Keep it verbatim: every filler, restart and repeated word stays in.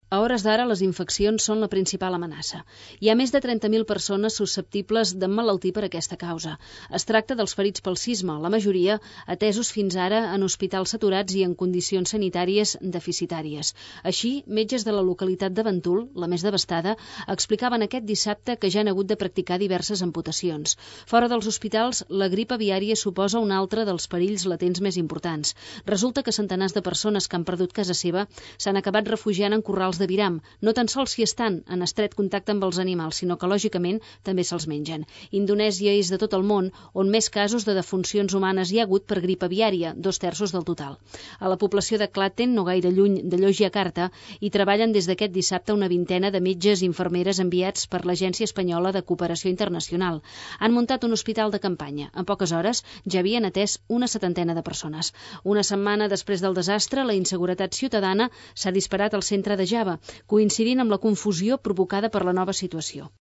A hores d'ara, les infeccions són la principal amenaça. Hi ha més de trenta mil persones susceptibles d'emmalaltir per aquesta causa. Es tracta dels ferits pel sisme, la majoria atesos fins ara en hospitals saturats i en condicions sanitàries deficitàries. Així, metges de la localitat de Ventoul, la més devastada, explicaven aquest dissabte que ja han hagut de practicar diverses amputacions. Fora dels hospitals, la grip aviària suposa un altre dels perills latents més importants. Resulta que centenars de persones que han perdut casa seva s'han acabat refugiant en corrals de viram, no tan sols si estan en estret contacte amb els animals, sinó que, lògicament, també se'ls mengen. Indonèsia és de tot el món on més casos de defuncions humanes hi ha hagut per grip aviària, dos terços del total. A la població de Klaten, no gaire lluny de Yogyakarta, hi treballen des d'aquest dissabte una vintena de metges i infermeres enviats per l'Agència Espanyola de Cooperació Internacional. Han muntat un hospital de campanya. En poques hores ja havien atès una setantena de persones. Una setmana després del desastre, la inseguretat ciutadana s'ha disparat al centre de Java, coincidint amb la confusió provocada per la nova situació.